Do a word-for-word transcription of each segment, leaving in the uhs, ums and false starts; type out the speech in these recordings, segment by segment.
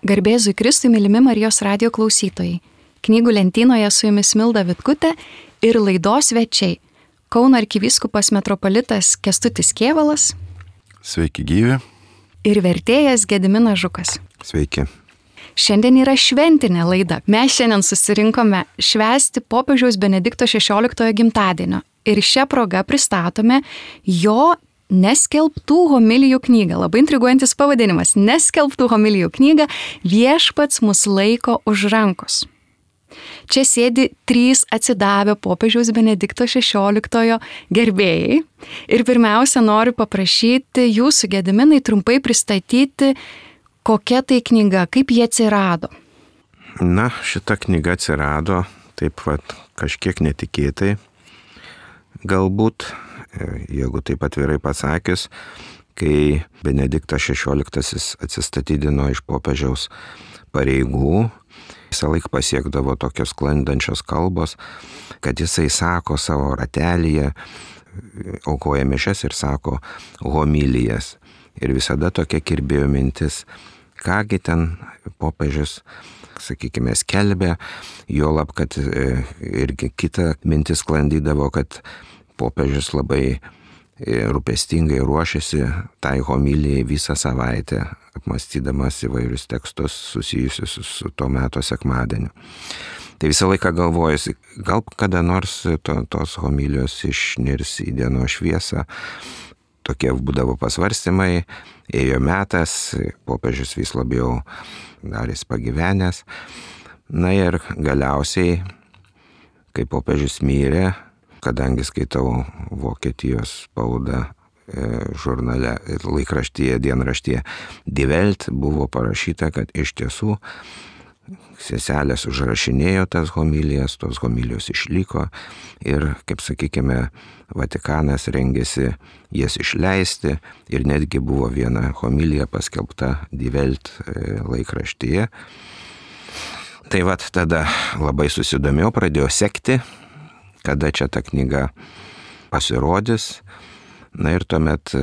Garbėzui Kristui, mylimi Marijos radijo klausytojai. Knygų lentynoje su jumis Milda Vitkutė ir laidos svečiai. Kauno arkivyskupas metropolitas Kęstutis Kėvalas. Sveiki gyvi. Ir vertėjas Gediminas Žukas. Sveiki. Šiandien yra šventinė laida. Mes šiandien susirinkome švęsti popiežiaus Benedikto šešioliktojo gimtadienio. Ir šią progą pristatome jo Neskelbtų homilijų knygą. Labai intriguojantis pavadinimas. Neskelbtų homilijų knygą Viešpats mus laiko už rankos. Čia sėdi trys atsidavę popiežiaus Benedikto šešioliktojo gerbėjai. Ir pirmiausia, noriu paprašyti jūsų, Gediminai, trumpai pristatyti, kokia tai knyga, kaip jie atsirado. Na, šita knyga atsirado taip pat kažkiek netikėtai. Galbūt, jeigu taip atvirai pasakius, kai Benediktas šešioliktasis atsistatydino iš popiežiaus pareigų, visą laiką pasiekdavo tokios sklandančios kalbos, kad jisai sako savo ratelyje, aukoja mišias ir sako homilijas. Ir visada tokia kirbėjo mintis, kągi ten popiežius, sakykime, skelbė, juolab, kad irgi kita mintis sklandydavo, kad popiežius labai rūpestingai ruošiasi tai homilijai visą savaitę, apmąstydamas įvairius tekstus susijusius su to meto sekmadieniu. Tai visą laiką galvojusi, gal kada nors to, tos homilijos išnirs į dienos šviesą. Tokie būdavo pasvarstymai, ėjo metas, popiežius vis labiau darys pagyvenęs. Na ir galiausiai, kai popiežius mirė, kadangi skaitau Vokietijos spaudą žurnale, laikraštyje, dienraštyje Die Welt, buvo parašyta, kad iš tiesų seselės užrašinėjo tas homilijas, tos homilijos išliko ir, kaip sakykime, Vatikanas rengėsi jas išleisti ir netgi buvo viena homilija paskelbta Die Welt laikraštyje. Tai vat tada labai susidomėjau, pradėjau sekti, kada čia ta knyga pasirodys. Na ir tuomet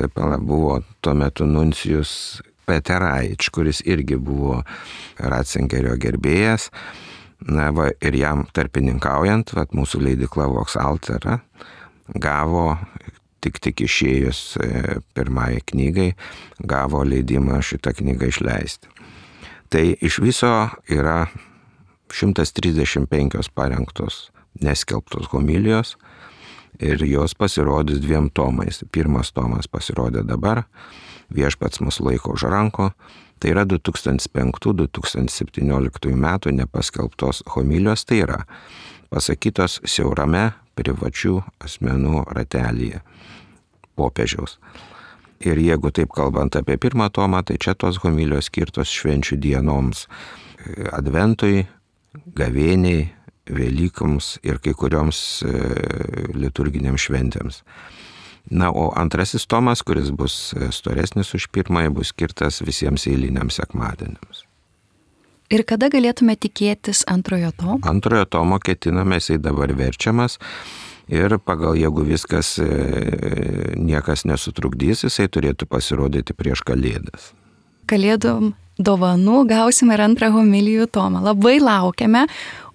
buvo tuo metu nuncijus Peteraič, kuris irgi buvo Ratzingerio gerbėjas. Na va, ir jam tarpininkaujant, vat, mūsų leidykla Vox Altera gavo, tik tik išėjus pirmai knygai, gavo leidimą šitą knygą išleisti. Tai iš viso yra šimtas trisdešimt penkios parengtos neskelbtos homilijos ir jos pasirodys dviem tomais. Pirmas tomas pasirodė dabar, Viešpats mus laiko už ranko. Tai yra du tūkstančiai penktų - du tūkstančiai septynioliktųjų metų nepaskelbtos homilijos, tai yra pasakytos siaurame privačių asmenų ratelyje popiežiaus. Ir jeigu taip kalbant apie pirmą tomą, tai čia tos homilijos skirtos švenčių dienoms, adventui, gavėniai, Velykoms ir kai kurioms liturginėms šventėms. Na, o antrasis tomas, kuris bus storesnis už pirmąjį, bus skirtas visiems eiliniams sekmadieniams. Ir kada galėtume tikėtis antrojo tomo? Antrojo tomo ketiname, jisai dabar verčiamas ir pagal, jeigu viskas niekas nesutrukdys, jisai turėtų pasirodyti prieš Kalėdas. Kalėdom dovanų gausime ir antrą homilijų tomą. Labai laukiame.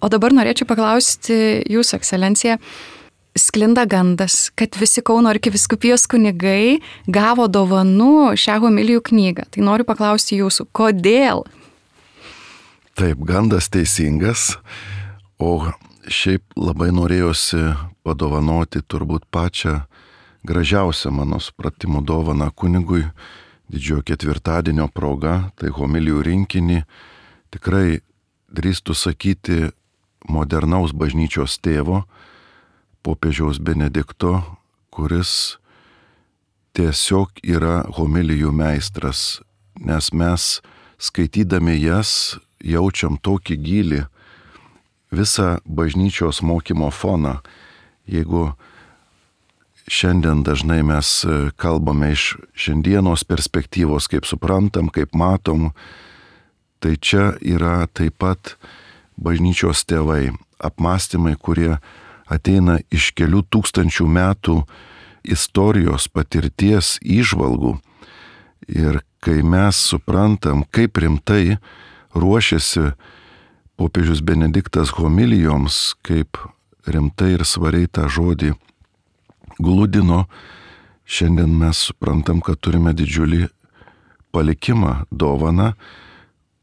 O dabar norėčiau paklausti jūsų ekscelenciją. Sklinda gandas, kad visi Kauno arkivyskupijos kunigai gavo dovanų šią homilijų knygą. Tai noriu paklausti jūsų, kodėl? Taip, gandas teisingas, o šiaip labai norėjosi padovanoti turbūt pačią gražiausią mano supratimo dovaną kunigui didžiojo ketvirtadienio proga, tai homilijų rinkinį, tikrai drįstu sakyti modernaus bažnyčios tėvo, popiežiaus Benedikto, kuris tiesiog yra homilijų meistras, nes mes skaitydami jas jaučiam tokį gylį, visą bažnyčios mokymo foną. Jeigu šiandien dažnai mes kalbame iš šiandienos perspektyvos, kaip suprantam, kaip matom, tai čia yra taip pat bažnyčios tėvai, apmąstymai, kurie ateina iš kelių tūkstančių metų istorijos, patirties, įžvalgų. Ir kai mes suprantam, kaip rimtai ruošėsi popiežius Benediktas homilijoms, kaip rimtai ir svariai tą žodį gludino, šiandien mes suprantam, kad turime didžiulį palikimą, dovaną,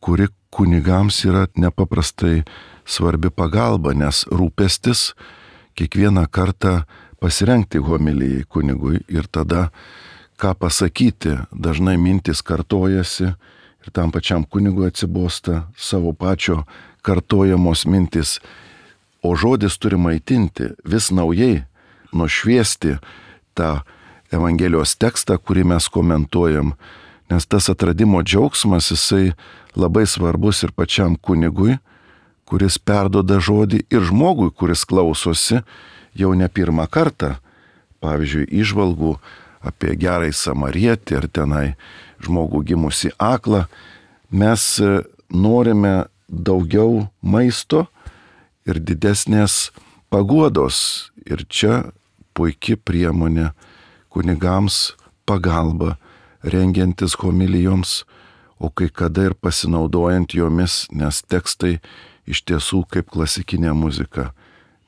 kuri kunigams yra nepaprastai svarbi pagalba, nes rūpestis kiekvieną kartą pasirengti homilijai kunigui ir tada ką pasakyti. Dažnai mintis kartojasi ir tam pačiam kunigui atsibosta savo pačio kartojamos mintis, o žodis turi maitinti, vis naujai nušviesti tą Evangelijos tekstą, kurį mes komentuojam, nes tas atradimo džiaugsmas, jisai labai svarbus ir pačiam kunigui, kuris perduoda žodį, ir žmogui, kuris klausosi jau ne pirmą kartą, pavyzdžiui, įžvalgų apie gerąjį samarietį ir tenai žmogų gimusi aklą. Mes norime daugiau maisto ir didesnės paguodos, ir čia puikia priemonė kunigams pagalba, rengiantis homilijoms, o kai kada ir pasinaudojant jomis, nes tekstai iš tiesų kaip klasikinė muzika,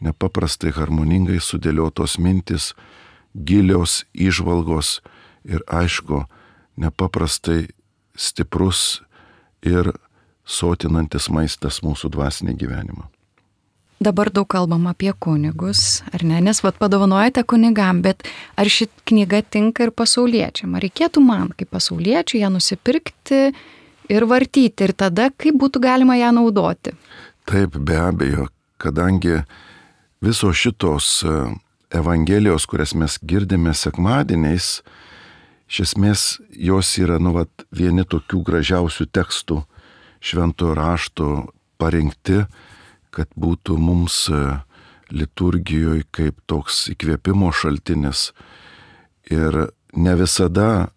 nepaprastai harmoningai sudėliotos mintis, gilios įžvalgos ir aišku, nepaprastai stiprus ir sotinantis maistas mūsų dvasinį gyvenimą. Dabar daug kalbam apie kunigus, ar ne, nes vat padovanojate kunigam, bet ar ši knyga tinka ir pasauliečiam? Ar reikėtų man, kaip pasauliečiui, ją nusipirkti ir vartyti, ir tada kaip būtų galima ją naudoti? Taip, be abejo, kadangi visos šitos Evangelijos, kurias mes girdime sekmadieniais, iš esmės jos yra, nu, vat, vieni tokių gražiausių tekstų šventojo rašto parinkti, kad būtų mums liturgijoje kaip toks įkvėpimo šaltinis. Ir ne visada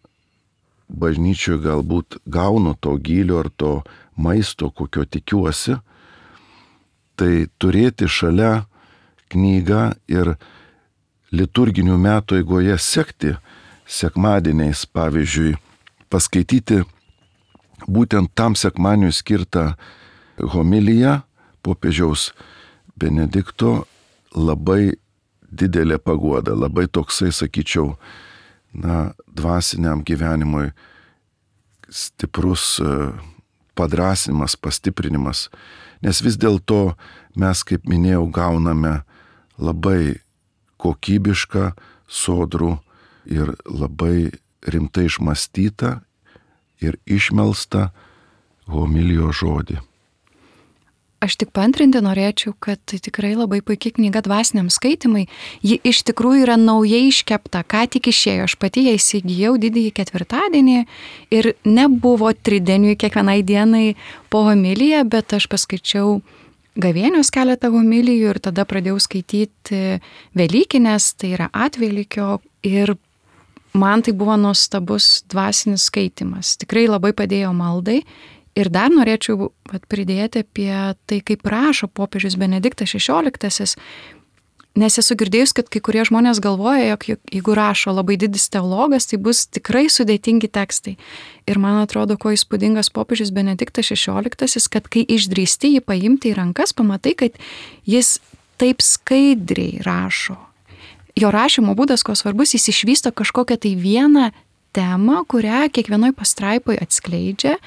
bažnyčioje galbūt gaunu to gylio ar to maisto, kokio tikiuosi, tai turėti šalia knygą ir liturginių metų eigoje sekti sekmadieniais, pavyzdžiui, paskaityti būtent tam sekmadieniui skirtą homiliją popiežiaus Benedikto, labai didelė paguoda, labai toksai, sakyčiau, na, dvasiniam gyvenimui stiprus padrasinimas, pastiprinimas, nes vis dėlto mes, kaip minėjau, gauname labai kokybišką, sodrų ir labai rimtai išmąstytą ir išmelstą homilijos žodį. Aš tik paantrinti norėčiau, kad tai tikrai labai puikia knyga dvasiniam skaitimai. Ji iš tikrųjų yra naujai iškepta, ką tik išėjo. Aš pati ją įsigijau didįjį ketvirtadienį ir nebuvo tridieniui kiekvienai dienai po homiliją, bet aš paskaičiau gavėnios keletą homilijų ir tada pradėjau skaityti Velykinės, tai yra atvelykio, ir man tai buvo nuostabus dvasinis skaitimas. Tikrai labai padėjo maldai. Ir dar norėčiau vat, pridėti apie tai, kaip rašo popiežius Benediktas šešioliktasis, nes esu girdėjus, kad kai kurie žmonės galvoja, jog jeigu rašo labai didis teologas, tai bus tikrai sudėtingi tekstai. Ir man atrodo, ko įspūdingas popiežius Benediktas šešioliktasis, kad kai išdrįsti jį paimti į rankas, pamatai, kad jis taip skaidriai rašo. Jo rašymo būdas, ko svarbus, jis išvysto kažkokią tai vieną temą, kurią kiekvienoj pastraipoj atskleidžia.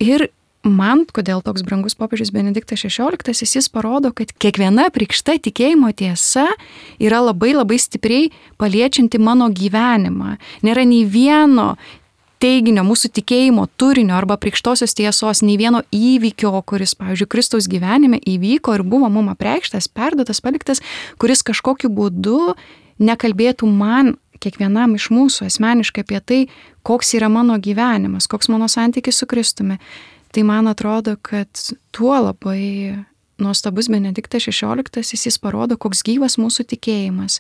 Ir man, kodėl toks brangus popiežius Benediktas šešioliktasis, jis parodo, kad kiekviena apreikšta tikėjimo tiesa yra labai labai stipriai paliečianti mano gyvenimą. Nėra nei vieno teiginio mūsų tikėjimo turinio arba apreikštosios tiesos, nei vieno įvykio, kuris, pavyzdžiui, Kristaus gyvenime įvyko ir buvo mum apreikštas, perduotas, paliktas, kuris kažkokiu būdu nekalbėtų man, kiekvienam iš mūsų asmeniškai apie tai, koks yra mano gyvenimas, koks mano santykis su Kristumi. Tai man atrodo, kad tuo labai nuostabus Benediktas šešioliktasis, jis parodo, koks gyvas mūsų tikėjimas.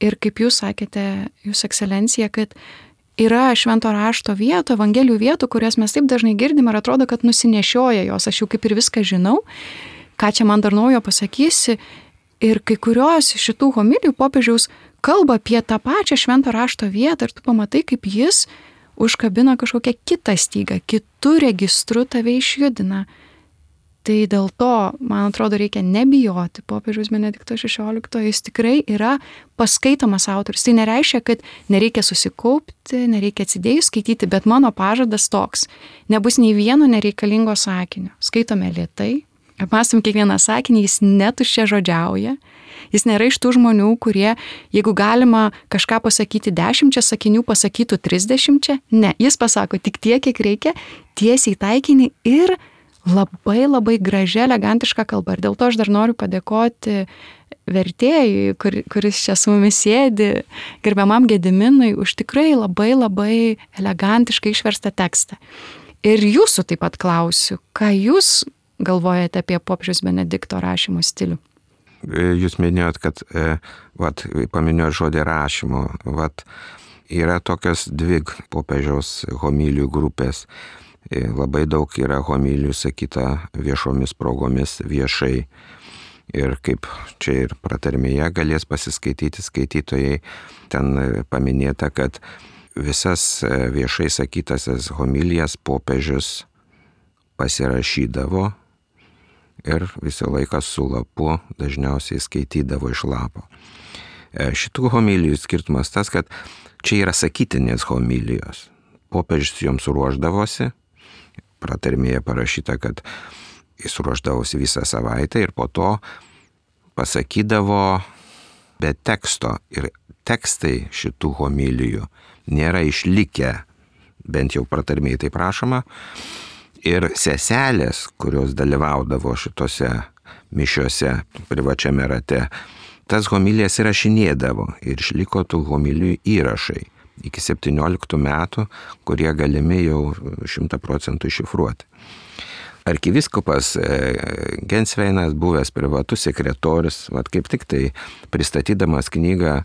Ir kaip jūs sakėte, jūs ekscelencija, kad yra švento rašto vietų, evangelijų vietų, kurias mes taip dažnai girdim ir atrodo, kad nusinešioja jos. Aš jau kaip ir viską žinau, ką čia man dar naujo pasakysi. Ir kai kurios šitų homilijų popiežiaus kalba apie tą pačią švento rašto vietą ir tu pamatai, kaip jis užkabina kažkokią kitą stygą, kitų registrų tave išjudina. Tai dėl to, man atrodo, reikia nebijoti popiežiaus Benedikto šešioliktojo, jis tikrai yra paskaitomas autorius. Tai nereiškia, kad nereikia susikaupti, nereikia atsidėjus skaityti, bet mano pažadas toks. Nebus nei vieno nereikalingo sakinio. Skaitome lėtai, apmąstom kiekvieną sakinį, jis netuščia žodžiauja. Jis nėra iš tų žmonių, kurie, jeigu galima kažką pasakyti dešimčia sakinių, pasakytų trisdešimčia. Ne, jis pasako tik tiek, kiek reikia, tiesiai taikinį ir labai labai gražia, elegantiška kalba. Ir dėl to aš dar noriu padėkoti vertėjui, kur, kuris čia su mumis sėdi, gerbiamam Gediminui, už tikrai labai labai elegantiškai išverstą tekstą. Ir jūsų taip pat klausiu, ką jūs galvojate apie popiežiaus Benedikto rašymo stilių? Jūs minėjot, kad, vat, paminėjot žodį rašymo, vat, yra tokios dvi popiežiaus homilijų grupės. Labai daug yra homilijų sakyta viešomis progomis viešai. Ir kaip čia ir pratarmėje galės pasiskaityti skaitytojai, ten paminėta, kad visas viešai sakytasias homilijas popiežius pasirašydavo ir visą laiką su lapu dažniausiai skaitydavo iš lapo. Šitų homilijų skirtumas tas, kad čia yra sakytinės homilijos. Popiežius joms ruoždavosi, pratarmėje parašyta, kad jis ruoždavosi visą savaitę ir po to pasakydavo be teksto. Ir tekstai šitų homilijų nėra išlikę, bent jau pratarmėje tai prašoma. Ir seselės, kurios dalyvaudavo šitose mišiose privačiame rate, tas homilijas įrašinėdavo ir išliko tų homilijų įrašai iki septynioliktų metų, kurie galimi jau šimtą procentų iššifruoti. Arkivyskupas Gensveinas, buvęs privatus sekretorius, vat kaip tik tai pristatydamas knygą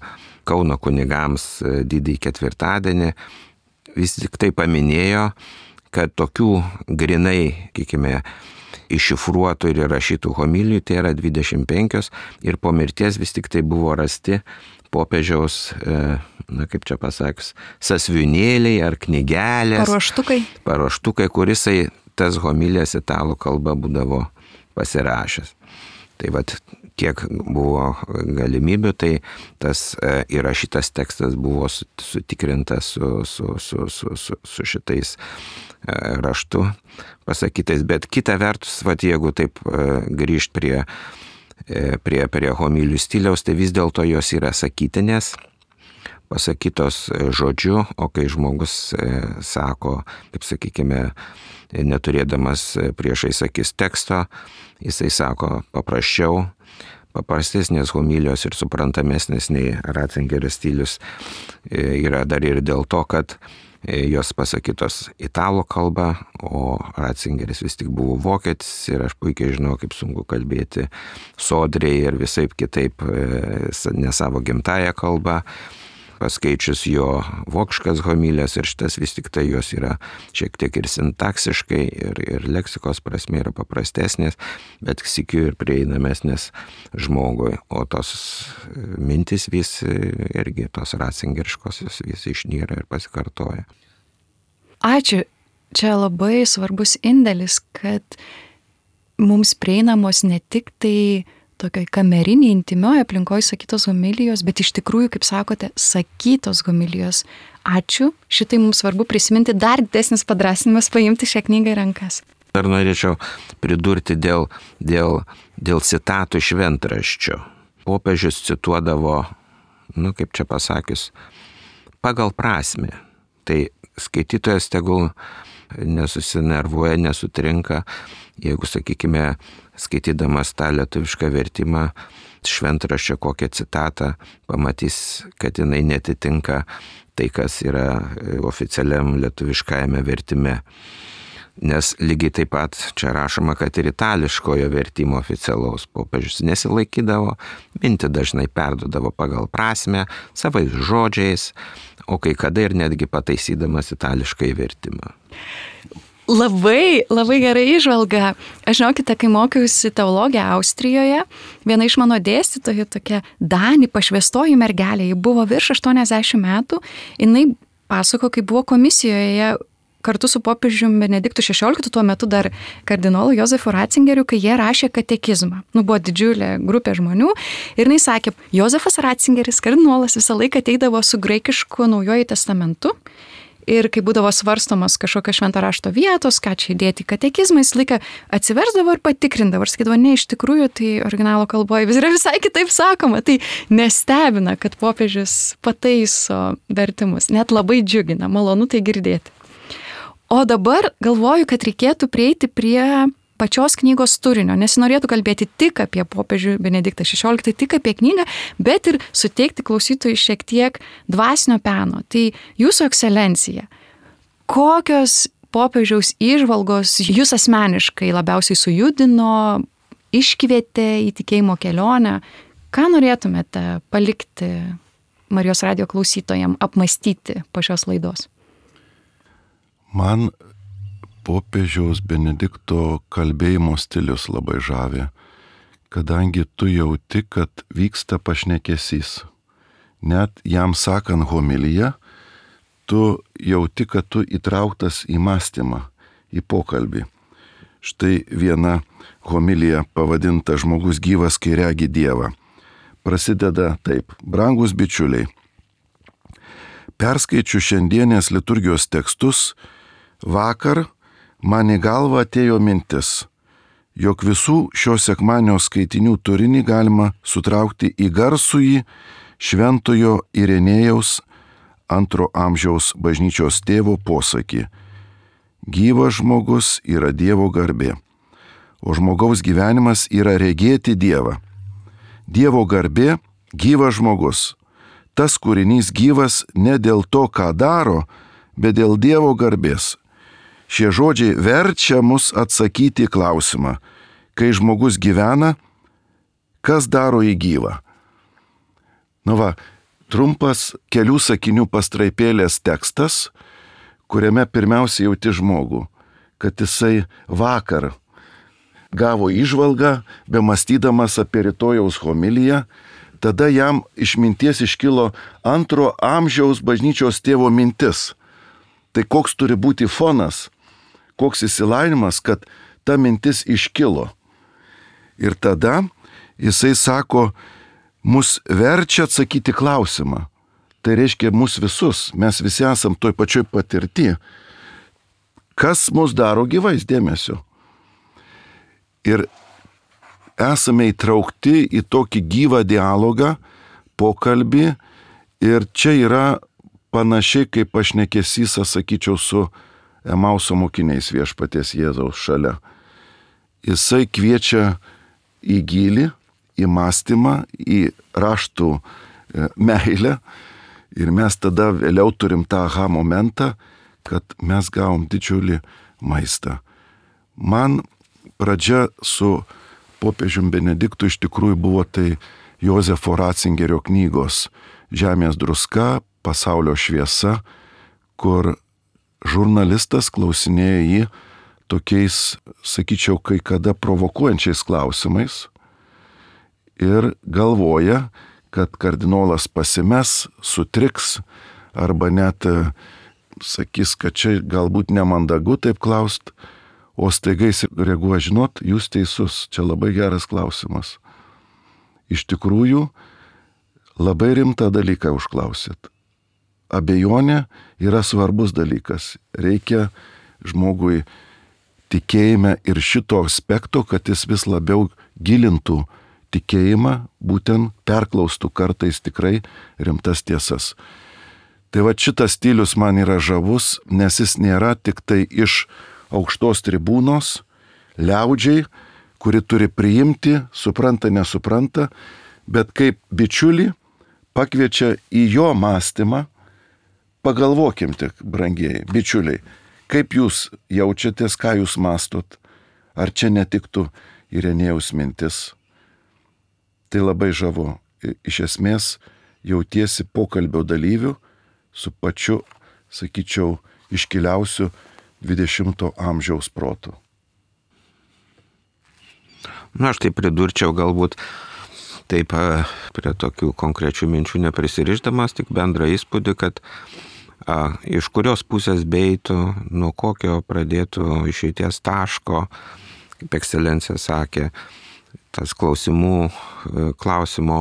Kauno kunigams didįjį ketvirtadienį, vis tik tai paminėjo, kad tokių grinai, sakykime, iššifruotų ir įrašytų homilijų tai yra dvidešimt penkios ir po mirties vis tik tai buvo rasti popiežiaus, na kaip čia pasakius, sąsiuvinėliai ar knygelės. Paruoštukai. Paruoštukai, kurisai tas homilijas italų kalba būdavo pasirašęs. Tai vat kiek buvo galimybių, tai tas įrašytas tekstas buvo sutikrintas su, su, su, su, su, su šitais raštu pasakytais. Bet kita vertus, vat jeigu taip grįžt prie prie, prie homilijų stiliaus, tai vis dėlto jos yra sakytinės, pasakytos žodžiu, o kai žmogus sako, kaip sakykime, neturėdamas priešais akis teksto, jisai sako paprasčiau, paprastesnės homilijos ir suprantamesnės nei Ratzingerio stilius yra dar ir dėl to, kad jos pasakytos italų kalba, o Ratzingeris vis tik buvo vokietis ir aš puikiai žinau, kaip sunku kalbėti sodriai ir visaip kitaip ne savo gimtąją kalbą, paskaičius jo vokiškas homilijas ir šitas vis tik tai jos yra šiek tiek ir sintaksiškai ir, ir leksikos prasme yra paprastesnės, bet sykiu ir prieinamesnės žmogui, o tos mintis vis irgi tos ratzingeriškosios vis išnyra ir pasikartoja. Ačiū. Čia labai svarbus indėlis, kad mums prieinamos ne tik tai tokioj kameriniai, intimioje aplinkoje sakytos homilijos, bet iš tikrųjų, kaip sakote, sakytos homilijos. Ačiū, šitai mums svarbu prisiminti, dar didesnis padrąsinimas paimti šią knygą į rankas. Dar norėčiau pridurti dėl, dėl, dėl citatų šventraščio. Popiežius cituodavo, nu kaip čia pasakius, pagal prasmę. Tai skaitytojas tegul nesusinervuoja, nesutrinka, jeigu, sakykime, skaitydamas tą lietuvišką vertimą, šventraščio kokią citatą, pamatys, kad jinai netitinka tai, kas yra oficialiam lietuviškajame vertime. Nes lygiai taip pat čia rašoma, kad ir itališkojo vertimo oficialaus popiežius nesilaikydavo, mintį dažnai perduodavo pagal prasmę, savais žodžiais, o kai kada ir netgi pataisydamas itališkai vertimą. Labai, labai gerai įžvalga. Aš žinokite, kai mokiausi teologiją Austrijoje, viena iš mano dėstytojų, tokia Dani pašvęstoji mergelė, ji buvo virš aštuoniasdešimt metų, jinai pasako, kai buvo komisijoje kartu su popiežiumi Benediktu šešioliktu, tuo metu dar kardinolu Jozefu Ratzingeriu, kai jie rašė katekizmą. Nu, buvo didžiulė grupė žmonių ir jis sakė, Jozefas Ratzingeris, kardinolas, visą laiką ateidavo su graikišku Naujuoju testamentu ir kai būdavo svarstomas kažkokio švento rašto vietos, ką čia įdėti į katekizmą, jis laiką atsiversdavo ir patikrindavo ir sakydavo, ne, iš tikrųjų, tai originalo kalboje vis yra visai kitaip sakoma, tai nestebina, kad popiežius pataiso vertimus, net labai džiugina, malonu tai girdėti. O dabar galvoju, kad reikėtų prieiti prie pačios knygos turinio, nesinorėtų kalbėti tik apie popiežių Benediktą šešioliktą, tik apie knygą, bet ir suteikti klausytojui šiek tiek dvasinio peno. Tai jūsų ekscelencija, kokios popiežiaus įžvalgos jūs asmeniškai labiausiai sujudino, iškvietė į tikėjimo kelionę, ką norėtumėte palikti Marijos radijo klausytojams apmastyti po šios laidos? Man popiežiaus Benedikto kalbėjimo stilius labai žavi, kadangi tu jauti, kad vyksta pašnekesys. Net jam sakant homiliją, tu jauti, kad tu įtrauktas į mąstymą, į pokalbį. Štai viena homilija pavadinta Žmogus gyvas, kai regi Dievą. Prasideda taip: brangus bičiuliai, perskaičiu šiandienės liturgijos tekstus, vakar man į galvą atėjo mintis, jog visų šio sekmadienio skaitinių turinį galima sutraukti į garsųjį šventojo Irenėjaus antro amžiaus bažnyčios tėvo posakį: gyvas žmogus yra Dievo garbė, o žmogaus gyvenimas yra regėti Dievą. Dievo garbė – gyvas žmogus. Tas kūrinys gyvas ne dėl to, ką daro, bet dėl Dievo garbės. Šie žodžiai verčia mus atsakyti į klausimą, kai žmogus gyvena, kas daro jį gyvą. Nu va, trumpas kelių sakinių pastraipėlės tekstas, kuriame pirmiausia jauti žmogų, kad jisai vakar gavo įžvalgą, bemastydamas apie rytojaus homiliją, tada jam iš minties iškilo antro amžiaus bažnyčios tėvo mintis. Tai koks turi būti fonas, koks įsilainimas, kad ta mintis iškilo. Ir tada jisai sako, mus verčia atsakyti klausimą. Tai reiškia mus visus, mes visi esam toj pačioj patirti. Kas mus daro gyvais, dėmesio? Ir esame įtraukti į tokį gyvą dialogą, pokalbį, ir čia yra panašiai kaip pašnekesys, sakyčiau, su Emauso mokiniais Viešpaties Jėzaus šalia. Jisai kviečia į gylį, į mąstymą, į raštų meilę, ir mes tada vėliau turim tą aha momentą, kad mes gavom didžiulį maistą. Man pradžia su popiežium Benediktu iš tikrųjų buvo tai Jozefo Ratzingerio knygos Žemės druska, pasaulio šviesa, kur žurnalistas klausinėja jį tokiais, sakyčiau, kai kada provokuojančiais klausimais ir galvoja, kad kardinolas pasimes, sutriks arba net sakys, kad čia galbūt nemandagu taip klaust, o staiga jis reaguoja, žinot, jūs teisus, čia labai geras klausimas. Iš tikrųjų, labai rimtą dalyką užklausėt. Abejonė yra svarbus dalykas. Reikia žmogui tikėjime ir šito aspekto, kad jis vis labiau gilintų tikėjimą, būtent perklaustų kartais tikrai rimtas tiesas. Tai va šitas stilius man yra žavus, nes jis nėra tik tai iš aukštos tribūnos, liaudžiai, kuri turi priimti, supranta, nesupranta, bet kaip bičiulį pakviečia į jo mąstymą. Pagalvokim tik, brangieji, bičiuliai, kaip jūs jaučiatės, ką jūs mąstot, ar čia netiktų Irenėjaus mintis. Tai labai žavu. Iš esmės jautiesi pokalbio dalyvių su pačiu, sakyčiau, iškiliausiu dvidešimto amžiaus protu. Na, aš tai pridurčiau galbūt taip prie tokių konkrečių minčių neprisirišdamas, tik bendrą įspūdį, kad a, iš kurios pusės beitų, nuo kokio pradėtų išeities taško, kaip ekscelencija sakė, tas klausimų, klausimo,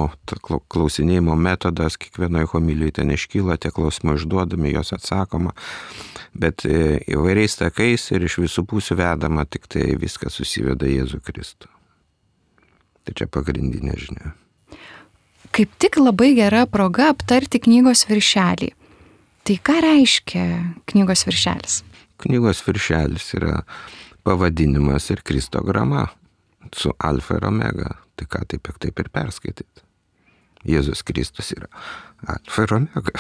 klausinėjimo metodas, kiekvienoje homilijai ten iškyla, tie klausimai užduodami, jos atsakoma, bet įvairiais takais ir iš visų pusių vedama, tik tai viskas susiveda Jėzų Kristų. Tai čia pagrindinė žinia. Kaip tik labai gera proga aptarti knygos viršelį. Tai ką reiškia knygos viršelis? Knygos viršelis yra pavadinimas ir kristograma su alfa ir omega. Tai ką taip, taip ir perskaityti. Jėzus Kristus yra alfa ir omega.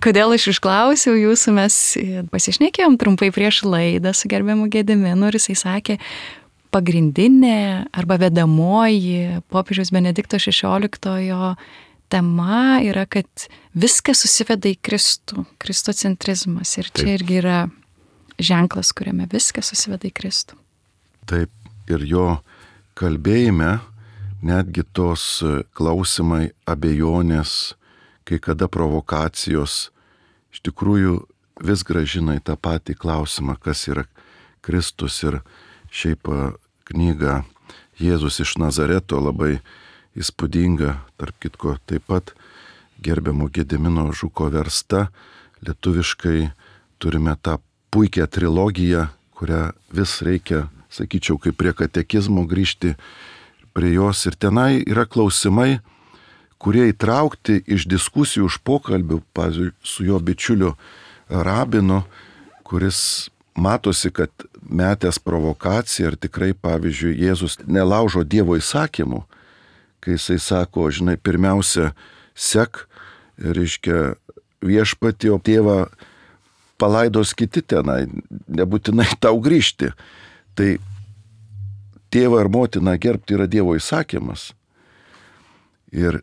Kodėl aš išklausiau jūsų, mes pasišnekėjom trumpai prieš laidą su gerbiamu Gediminu ir jisai sakė, pagrindinė arba vedamoji popiežiaus Benedikto šešioliktojo tema yra, kad viskas susiveda į Kristų, kristocentrizmas. Ir čia Taip. Irgi yra ženklas, kuriame viskas susiveda į Kristų. Taip, ir jo kalbėjime netgi tos klausimai, abejonės, kai kada provokacijos, iš tikrųjų vis grąžina į tą patį klausimą, kas yra Kristus. Ir šiaip knyga Jėzus iš Nazareto labai įspūdinga, tarp kitko taip pat gerbiamo Gedimino Žuko versta, lietuviškai turime tą puikią trilogiją, kurią vis reikia, sakyčiau, kaip prie katekizmo grįžti prie jos. Ir tenai yra klausimai, kurie įtraukti iš diskusijų, iš pokalbių, pavyzdžiui, su jo bičiuliu rabinu, kuris matosi, kad metęs provokaciją, ir tikrai, pavyzdžiui, Jėzus nelaužo Dievo įsakymų, kai jisai sako, žinai, pirmiausia, sek, reiškia, viešpatį, o tėvą palaidos kiti tenai, nebūtinai tau grįžti. Tai tėvą ir motiną gerbti yra Dievo įsakymas. Ir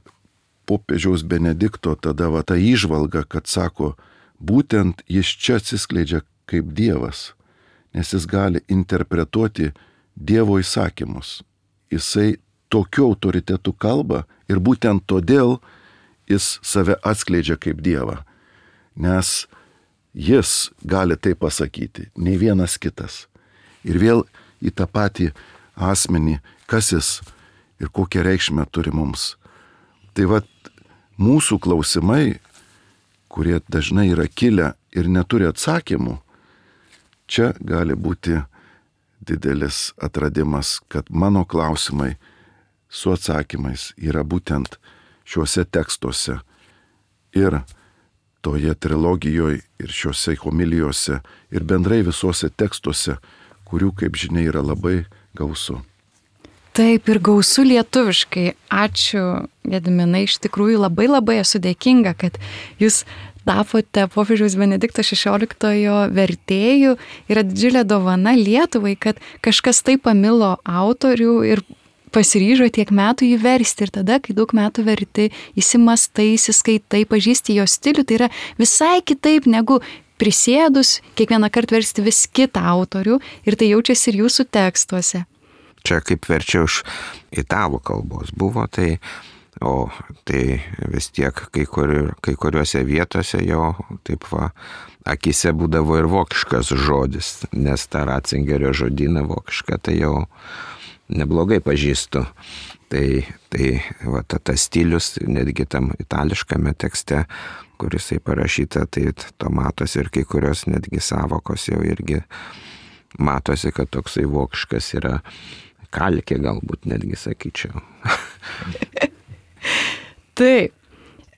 popiežiaus Benedikto tada va ta įžvalga, kad sako, būtent jis čia atsiskleidžia kaip Dievas, nes jis gali interpretuoti Dievo įsakymus. Jisai tokiu autoritetu kalba ir būtent todėl jis save atskleidžia kaip Dievą, nes jis gali tai pasakyti, nei vienas kitas. Ir vėl į tą patį asmenį, kas jis ir kokią reikšmę turi mums. Tai vat mūsų klausimai, kurie dažnai yra kilę ir neturi atsakymų, čia gali būti didelis atradimas, kad mano klausimai su atsakymais yra būtent šiuose tekstuose ir toje trilogijoje ir šiuose homilijose ir bendrai visuose tekstuose, kurių, kaip žinia, yra labai gausu. Taip, ir gausu lietuviškai. Ačiū, Gediminai, iš tikrųjų labai labai esu dėkinga, kad jūs tapote popiežiaus Benedikto šešioliktojo vertėjų. Yra didžiulė dovana Lietuvai, kad kažkas taip pamilo autorių ir pasiryžo tiek metų jį versti. Ir tada, kai daug metų verti, įsimastai, įsiskaitai, pažįsti jo stilių, tai yra visai kitaip negu prisėdus kiekvieną kartą versti vis kitą autorių. Ir tai jaučiasi ir jūsų tekstuose. Čia kaip verčiau iš italų kalbos buvo, tai, o tai vis tiek kai, kur, kai kuriuose vietose jau taip va, akise būdavo ir vokiškas žodis, nes tą Ratzingerio žodyną vokišką tai jau neblogai pažįstu. Tai, tai va, tas stilius, netgi tam itališkame tekste, kuris parašyta, tai to matosi ir kai kurios netgi savokos jau irgi matosi, kad toksai vokiškas yra. Kalkė galbūt netgi sakyčiau. Taip.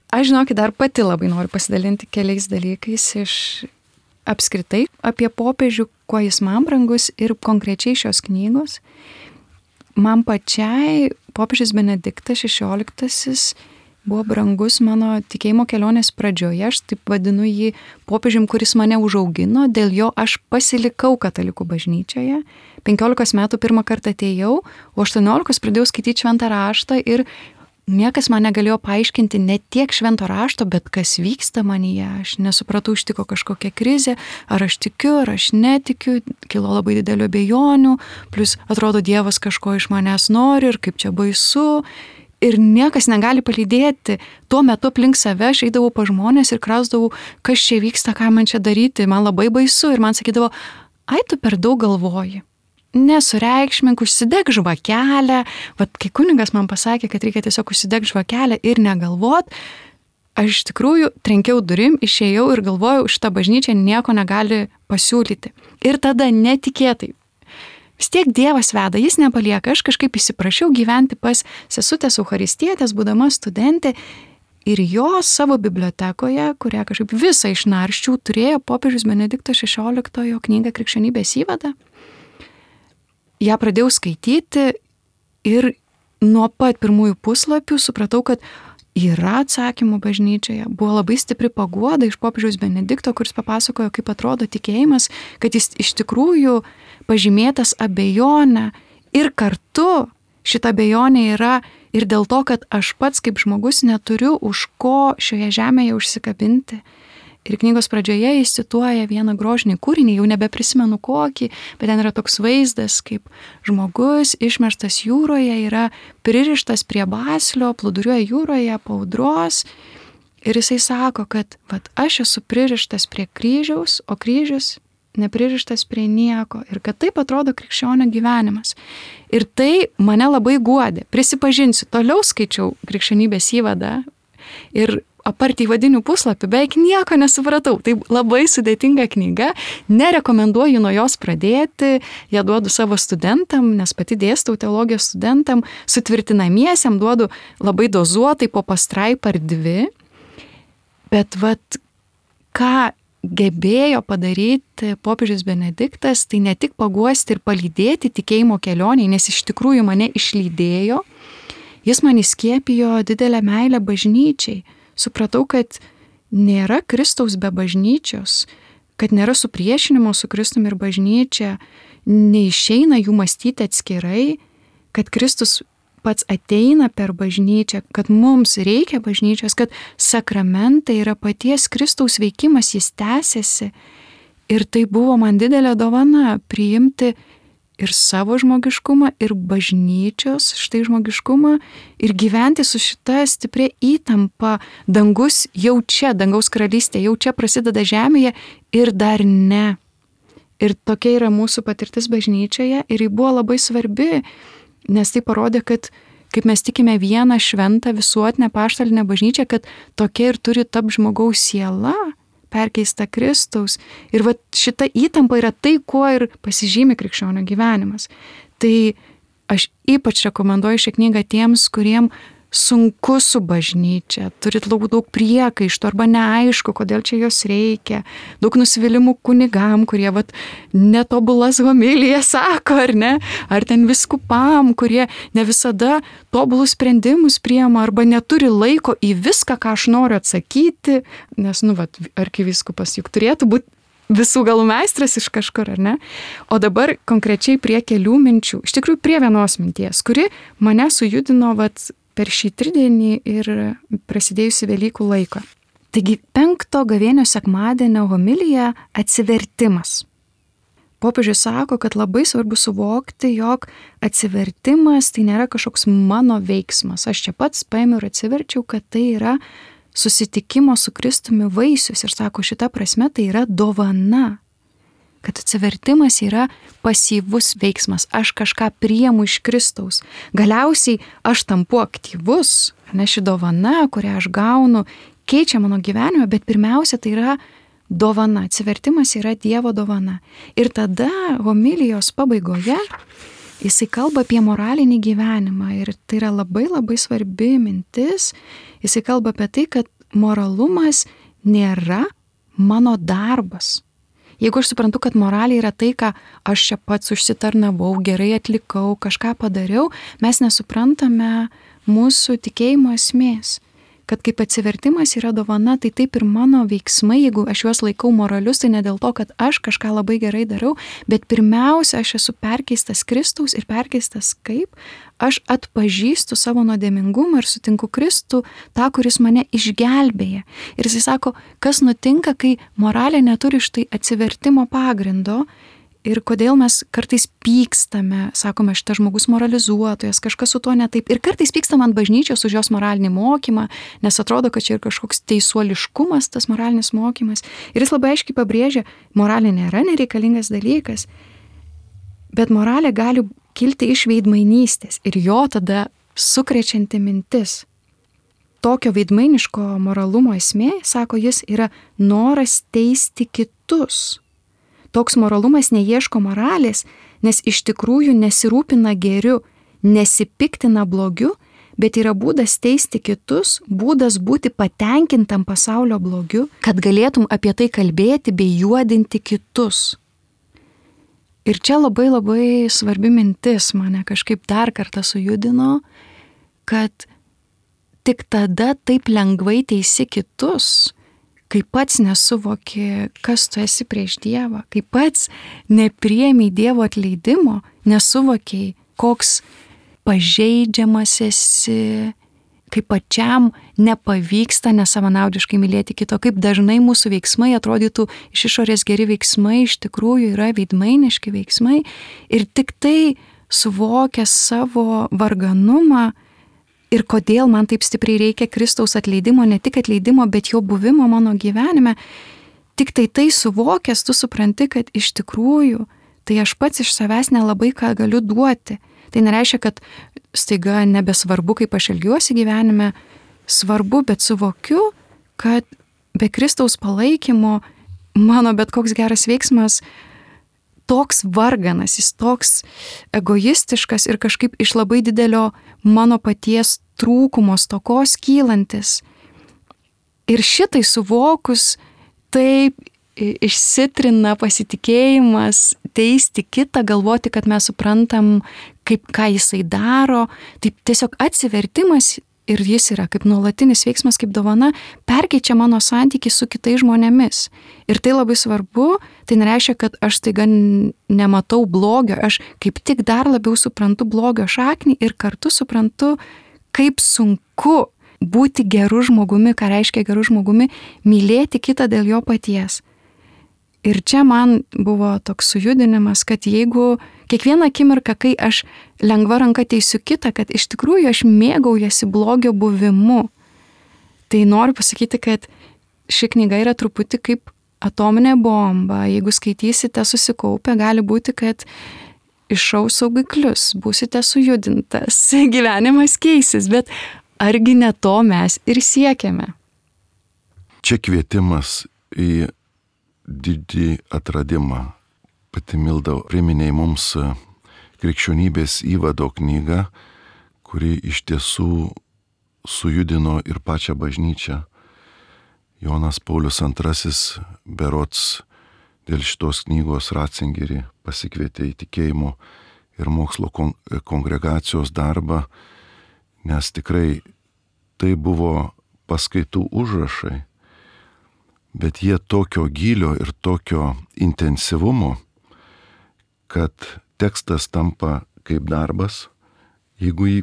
Aš žinokit, dar pati labai noriu pasidalinti keliais dalykais iš apskritai apie popiežių, kuo jis man brangus ir konkrečiai šios knygos. Man pačiai popiežius Benediktas šešioliktasis buvo brangus mano tikėjimo kelionės pradžioje. Aš taip vadinu jį popiežium, kuris mane užaugino. Dėl jo aš pasilikau katalikų bažnyčioje. penkiolikos metų pirmą kartą atėjau, o aštuoniolikos pradėjau skaityti šventą raštą ir niekas man negalėjo paaiškinti ne tiek švento rašto, bet kas vyksta manyje. Aš nesupratau, ištiko kažkokia krizė, ar aš tikiu, ar aš netikiu, kilo labai didelių abejonių, plus atrodo Dievas kažko iš manęs nori ir kaip čia baisu. ir niekas negali palydėti. Tuo metu aplink save aš eidavau pa žmonės ir krausdavau, kas čia vyksta, ką man čia daryti, man labai baisu ir man sakydavo, ai tu per daug galvoji. Nesureikšmink, užsideg žvakelę. Vat kai kunigas man pasakė, kad reikia tiesiog užsideg žvakelę ir negalvot, aš iš tikrųjų trenkiau durim, išėjau ir galvojau, šitą bažnyčią nieko negali pasiūlyti. Ir tada netikėtai. Vis tiek Dievas veda, jis nepalieka. Aš kažkaip įsiprašiau gyventi pas sesutės Eucharistietės, būdama studentė, ir jos savo bibliotekoje, kurią kažkaip visą išnarščiau, turėjo popiežius Benedikto šešioliktojo knygą Krikščionybės įvadą. Ja pradėjau skaityti ir nuo pat pirmųjų puslapių supratau, kad yra atsakymų bažnyčioje. Buvo labai stipri paguoda iš popiežiaus Benedikto, kuris papasakojo, kaip atrodo tikėjimas, kad jis iš tikrųjų pažymėtas abejonę ir kartu šita abejonė yra ir dėl to, kad aš pats kaip žmogus neturiu už ko šioje žemėje užsikabinti. Ir knygos pradžioje jis cituoja vieną grožinį kūrinį, jau nebeprisimenu kokį, bet ten yra toks vaizdas, kaip žmogus išmeštas jūroje, yra pririštas prie baslio, plūduriuoja jūroje po audros. Ir jisai sako, kad vat, aš esu pririštas prie kryžiaus, o kryžius nepririštas prie nieko. Ir kad taip atrodo krikščionio gyvenimas. Ir tai mane labai guodė. Prisipažinsiu, toliau skaičiau Krikščionybės įvadą ir apart įvadinių puslapių beveik nieko nesupratau. Tai labai sudėtinga knyga, nerekomenduoju nuo jos pradėti, ją duodu savo studentam, nes pati dėstau teologijos studentam, sutvirtinamiesiam duodu labai dozuotai po pastraipą ar dvi. Bet vat, ką gebėjo padaryti popiežius Benediktas, tai ne tik paguosti ir palydėti tikėjimo kelionėje, nes iš tikrųjų mane išlydėjo, jis man įskiepijo didelę meilę bažnyčiai. Supratau, kad nėra Kristaus be bažnyčios, kad nėra supriešinimo su Kristumi ir bažnyčia, neišeina jų mąstyti atskirai, kad Kristus pats ateina per bažnyčią, kad mums reikia bažnyčios, kad sakramentai yra paties Kristaus veikimas, jis tęsiasi. Ir tai buvo man didelė dovana priimti ir savo žmogiškumą, ir bažnyčios štai žmogiškumą, ir gyventi su šita stipria įtampa. Dangus jau čia, dangaus karalystė jau čia prasideda žemėje ir dar ne. Ir tokia yra mūsų patirtis bažnyčioje ir ji buvo labai svarbi, nes tai parodė, kad kaip mes tikime vieną šventą visuotinę apaštalinę bažnyčią, kad tokia ir turi tapti žmogaus siela, perkeista Kristaus. Ir va šita įtampa yra tai, kuo ir pasižymi krikščionio gyvenimas. Tai aš ypač rekomenduoju šią knygą tiems, kuriem sunku su bažnyčia, turit daug, daug priekaištų arba neaišku, kodėl čia jos reikia, daug nusivylimų kunigam, kurie vat, netobulas homilijas sako, ar ne, ar ten viskupam, kurie ne visada tobulus sprendimus priima arba neturi laiko į viską, ką aš noriu atsakyti, nes, nu, vat, arkivyskupas juk turėtų būti visų galų meistras iš kažkur, ar ne? O dabar konkrečiai prie kelių minčių, iš tikrųjų prie vienos minties, kuri mane sujudino vat, per šį tridienį ir prasidėjusi Velykų laiką. Taigi penkto gavėnios sekmadienio homilija atsivertimas. Popiežius sako, kad labai svarbu suvokti, jog atsivertimas tai nėra kažkoks mano veiksmas. Aš čia pats paėmiau ir atsiverčiau, kad tai yra susitikimo su Kristumi vaisius. Ir sako, šita prasme tai yra dovana. Kad atsivertimas yra pasyvus veiksmas, aš kažką priimu iš Kristaus. Galiausiai aš tampu aktyvus, ne ši dovana, kurią aš gaunu, keičia mano gyvenimą, bet pirmiausia tai yra dovana, atsivertimas yra Dievo dovana. Ir tada homilijos pabaigoje jisai kalba apie moralinį gyvenimą ir tai yra labai labai svarbi mintis. Jisai kalba apie tai, kad moralumas nėra mano darbas. Jeigu aš suprantu, kad moralė yra tai, ką aš čia pats užsitarnavau, gerai atlikau, kažką padariau, mes nesuprantame mūsų tikėjimo esmės. Kad kaip atsivertimas yra dovana, tai taip ir mano veiksmai, jeigu aš juos laikau moralius, tai ne dėl to, kad aš kažką labai gerai darau, bet pirmiausia, aš esu perkeistas Kristaus ir perkeistas kaip? Aš atpažįstu savo nuodėmingumą ir sutinku Kristų, tą, kuris mane išgelbėja. Ir jis sako, kas nutinka, kai moralė neturi štai atsivertimo pagrindo ir kodėl mes kartais pykstame, sakome, šitas žmogus moralizuotojas, kažkas su tuo ne taip. Ir kartais pykstame ant bažnyčios už jos moralinį mokymą, nes atrodo, kad čia ir kažkoks teisuoliškumas, tas moralinis mokymas. Ir jis labai aiškiai pabrėžia, moralė nėra nereikalingas dalykas, bet moralė gali kilti iš veidmainystės ir jo tada sukrečianti mintis. Tokio veidmainiško moralumo esmė, sako jis, yra noras teisti kitus. Toks moralumas neieško moralės, nes iš tikrųjų nesirūpina geriu, nesipiktina blogiu, bet yra būdas teisti kitus, būdas būti patenkintam pasaulio blogiu, kad galėtum apie tai kalbėti bei juodinti kitus. Ir čia labai labai svarbi mintis mane kažkaip dar kartą sujudino, kad tik tada taip lengvai teisi kitus, kai pats nesuvoki, kas tu esi prieš Dievą, kai pats nepriėmei Dievo atleidimo, nesuvokiai, koks pažeidžiamas esi, kaip pačiam nepavyksta nesavanaudiškai mylėti kito, kaip dažnai mūsų veiksmai atrodytų iš išorės geri veiksmai, iš tikrųjų yra veidmainiški veiksmai ir tik tai suvokia savo varganumą, ir kodėl man taip stipriai reikia Kristaus atleidimo, ne tik atleidimo, bet jo buvimo mano gyvenime, tik tai tai suvokęs, tu supranti, kad iš tikrųjų, tai aš pats iš savęs nelabai ką galiu duoti. Tai nereiškia, kad staiga nebesvarbu, kaip aš elgiuosi gyvenime, svarbu, bet suvokiu, kad be Kristaus palaikymo mano bet koks geras veiksmas toks varganas, jis toks egoistiškas ir kažkaip iš labai didelio mano paties trūkumo stokos kylantis. Ir šitai suvokus, taip išsitrina pasitikėjimas, teisti kitą, galvoti, kad mes suprantam, kaip, ką jisai daro, taip tiesiog atsivertimas ir jis yra kaip nuolatinis veiksmas, kaip dovana, perkeičia mano santykį su kitais žmonėmis. Ir tai labai svarbu, tai nereiškia, kad aš staiga nematau blogio, aš kaip tik dar labiau suprantu blogio šaknį ir kartu suprantu, kaip sunku būti geru žmogumi, ką reiškia geru žmogumi, mylėti kitą dėl jo paties. Ir čia man buvo toks sujudinimas, kad jeigu kiekvieną akimirką, kai aš lengva ranka teisiu kitą, kad iš tikrųjų aš mėgaujasi blogio buvimu, tai noriu pasakyti, kad ši knyga yra truputį kaip atominė bomba. Jeigu skaitysite susikaupę, gali būti, kad iššaus saugiklius, būsite sujudintas, gyvenimas keisis, bet argi ne to mes ir siekiame. Čia kvietimas į didį atradimą. Pati Milda priminė mums krikščionybės įvado knygą, kuri iš tiesų sujudino ir pačią bažnyčią. Jonas Paulius antrasis berods dėl šitos knygos Ratzingerį pasikvietė į tikėjimo ir mokslo kongregacijos darbą, nes tikrai tai buvo paskaitų užrašai, bet jie tokio gylio ir tokio intensyvumo, kad tekstas tampa kaip darbas, jeigu jį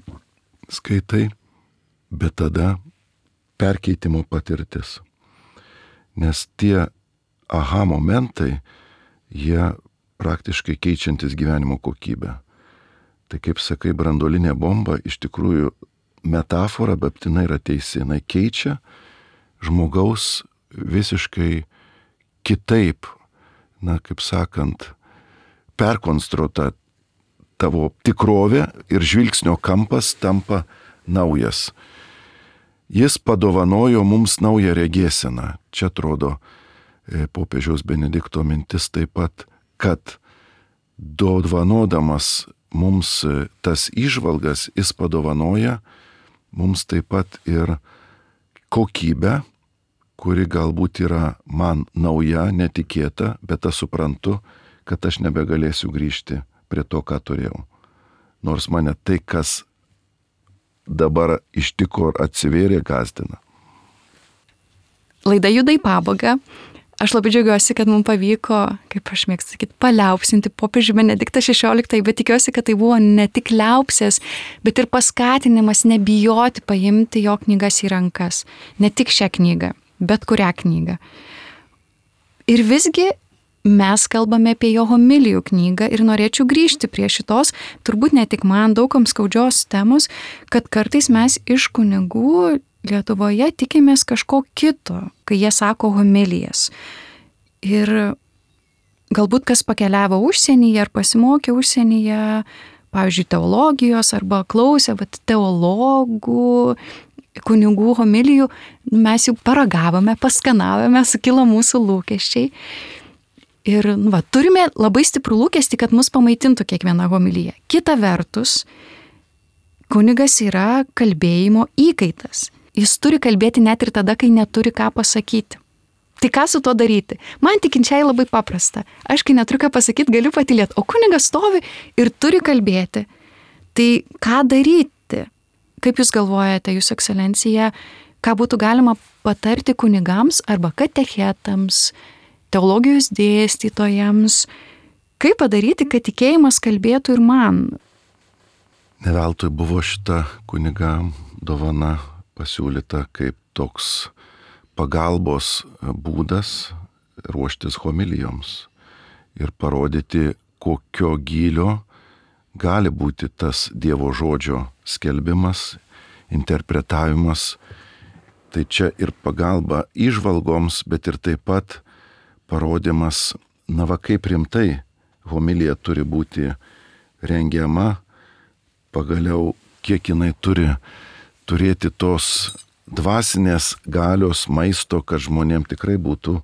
skaitai, bet tada perkeitimo patirtis. Nes tie aha momentai, jie praktiškai keičiantis gyvenimo kokybę. Tai kaip sakai, branduolinė bomba iš tikrųjų metafora, bet jinai yra teisi, jinai keičia žmogaus visiškai kitaip, na, kaip sakant, perkonstruota tavo tikrovė ir žvilgsnio kampas tampa naujas. Jis padovanojo mums naują regėseną. Čia atrodo popiežiaus Benedikto mintis taip pat, kad dovanodamas mums tas įžvalgas, jis padovanoja mums taip pat ir kokybę, kuri galbūt yra man nauja, netikėta, bet aš suprantu, kad aš nebegalėsiu grįžti prie to, ką turėjau. Nors mane tai, kas dabar ištiko ir atsivėrė, gąsdina. Laida juda į pabaigą. Aš labai džiaugiuosi, kad mums pavyko, kaip aš mėgstu sakyti, paliaupsinti popiežių Benediktą šešioliktąjį, bet tikiuosi, kad tai buvo ne tik liaupsės, bet ir paskatinimas nebijoti paimti jo knygas į rankas. Ne tik šią knygą, bet kurią knygą. Ir visgi mes kalbame apie jo homilijų knygą ir norėčiau grįžti prie šitos, turbūt ne tik man, daugam skaudžios temos, kad kartais mes iš kunigų Lietuvoje tikimės kažko kito, kai jie sako homilijas. Ir galbūt kas pakeliavo užsienyje ar pasimokė užsienyje, pavyzdžiui, teologijos arba klausė vat, teologų, kunigų homilijų, mes jau paragavome, paskanavome, sukilo mūsų lūkesčiai. Ir nu, va, turime labai stiprų lūkestį, kad mus pamaitintų kiekviena homilija. Kita vertus, kunigas yra kalbėjimo įkaitas. Jis turi kalbėti net ir tada, kai neturi ką pasakyti. Tai ką su tuo daryti? Man tikinčiai labai paprasta. Aš, kai neturiu ką pasakyti, galiu patylėti, o kunigas stovi ir turi kalbėti. Tai ką daryti? Kaip jūs galvojate, Jūsų ekscelencija, ką būtų galima patarti kunigams arba katechetams, teologijos dėstytojams? Kaip padaryti, kad tikėjimas kalbėtų ir man? Ne veltui buvo šita kunigam dovana pasiūlyta kaip toks pagalbos būdas ruoštis homilijoms ir parodyti, kokio gylio gali būti tas Dievo žodžio skelbimas, interpretavimas. Tai čia ir pagalba įžvalgoms, bet ir taip pat parodymas, na va kaip rimtai homilija turi būti rengiama, pagaliau kiek jinai turi turėti tos dvasinės galios maisto, kad žmonėm tikrai būtų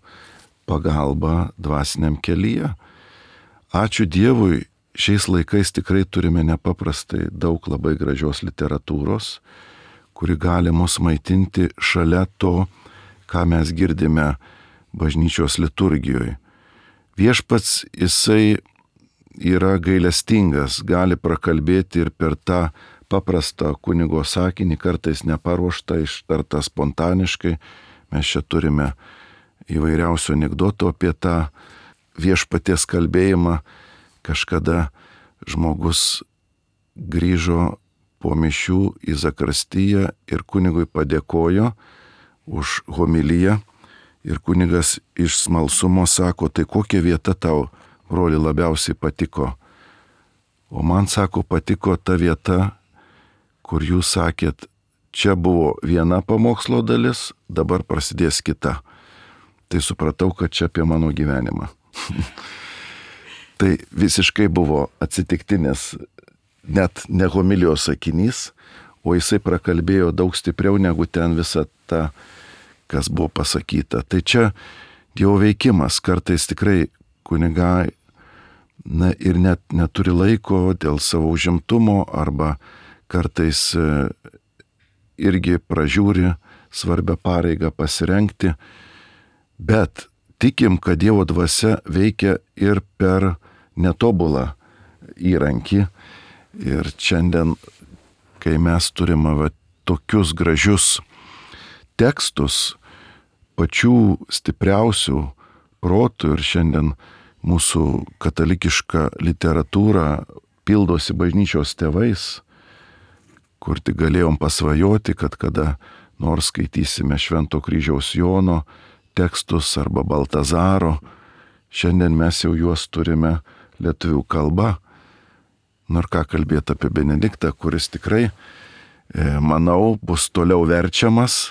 pagalba dvasiniam kelyje. Ačiū Dievui, šiais laikais tikrai turime nepaprastai daug labai gražios literatūros, kuri gali mus maitinti šalia to, ką mes girdime bažnyčios liturgijoje. Viešpats, jisai yra gailestingas, gali prakalbėti ir per tą paprastą kunigo sakinį, kartais neparuoštą, ištartą spontaniškai. Mes čia turime įvairiausių anekdotų apie tą viešpaties kalbėjimą. Kažkada žmogus grįžo po mišių į zakristiją ir kunigui padėkojo už homiliją. Ir kunigas iš smalsumo sako, tai kokia vieta tau, broli, labiausiai patiko? O man, sako, patiko ta vieta, kur jūs sakėt, čia buvo viena pamokslo dalis, dabar prasidės kita. Tai supratau, kad čia apie mano gyvenimą. Tai visiškai buvo atsitiktinis, net ne homilijos sakinys, o jisai prakalbėjo daug stipriau negu ten visa ta, kas buvo pasakyta. Tai čia Dievo veikimas, kartais tikrai kunigai na, ir net neturi laiko dėl savo užimtumo arba kartais irgi pražiūri svarbią pareigą pasirengti, bet tikim, kad Dievo dvasia veikia ir per netobulą įrankį. Ir šiandien, kai mes turime va, tokius gražius tekstus, pačių stipriausių protų, ir šiandien mūsų katalikiška literatūra pildosi bažnyčios tėvais, kur tik galėjom pasvajoti, kad kada nors skaitysime Švento kryžiaus Jono tekstus arba Baltazaro, šiandien mes jau juos turime lietuvių kalba. Nors ką kalbėti apie Benediktą, kuris tikrai, manau, bus toliau verčiamas.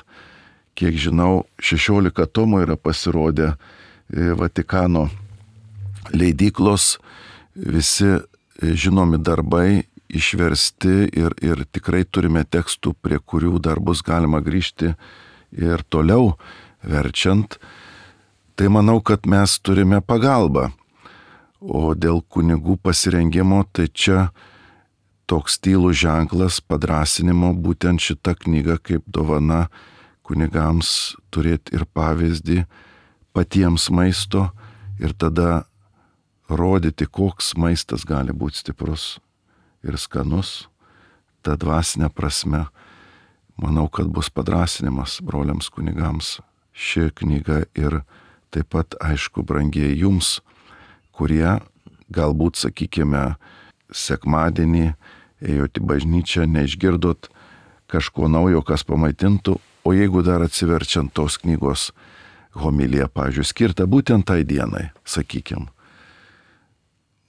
Kiek žinau, šešiolika tomų yra pasirodę Vatikano leidyklos, visi žinomi darbai išversti ir, ir tikrai turime tekstų, prie kurių dar bus galima grįžti ir toliau verčiant. Tai manau, kad mes turime pagalbą. O dėl kunigų pasirengimo, tai čia toks tylus ženklas padrąsinimo, būtent šita knyga kaip dovana kunigams turėti ir pavyzdį patiems maisto ir tada rodyti, koks maistas gali būti stiprus ir skanus. Ta dvasinė prasme, manau, kad bus padrąsinimas broliams kunigams ši knyga ir taip pat, aišku, brangiai jums, kurie galbūt, sakykime, sekmadienį ėjot į bažnyčią, neišgirdot kažko naujo, kas pamaitintų, o jeigu dar atsiverčiant tos knygos homilija, pavyzdžiui, skirta būtent tai dienai, sakykim.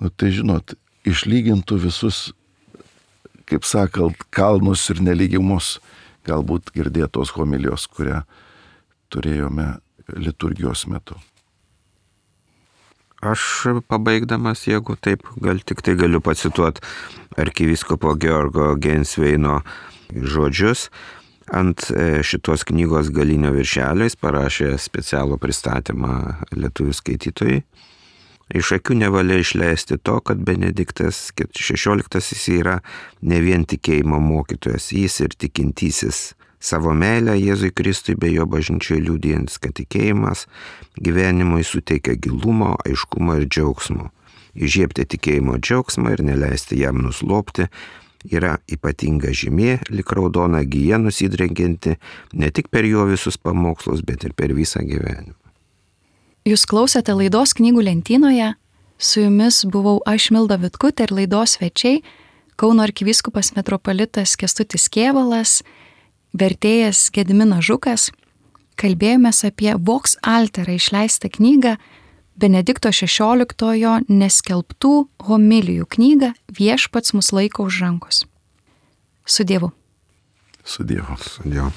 Nu tai žinot, išlygintų visus, kaip sakant, kalnus ir nelygimus, galbūt girdėtos homilijos, kurią turėjome liturgijos metu. Aš pabaigdamas, jeigu taip, gal tik tai galiu pacituoti arkivyskupo Georgo Gensveino žodžius. Ant šitos knygos galinio viršelio jis parašė specialų pristatymą lietuvių skaitytojai. Iš akių nevalia išleisti to, kad Benediktas šešioliktasis yra ne vien tikėjimo mokytojas, jis ir tikintysis. Savo meilę Jėzui Kristui bei jo bažnyčioje liudijantis, kad tikėjimas gyvenimui suteikia gilumo, aiškumo ir džiaugsmo. Įžiebti tikėjimo džiaugsmą ir neleisti jam nuslopti yra ypatinga žymė, lyg raudona gija nusidrengianti ne tik per jo visus pamokslus, bet ir per visą gyvenimą. Jūs klausėte laidos knygų lentynoje, su jumis buvau aš Milda Vitkutė ir laidos svečiai Kauno arkivyskupas metropolitas Kęstutis Kėvalas, vertėjas Gediminas Žukas. Kalbėjomės apie Vox Altera išleistą knygą Benedikto šešioliktojo neskelbtų homilijų knygą Viešpats mus laiko už rankos. Su Dievu. Su Dievu. Su Dievu.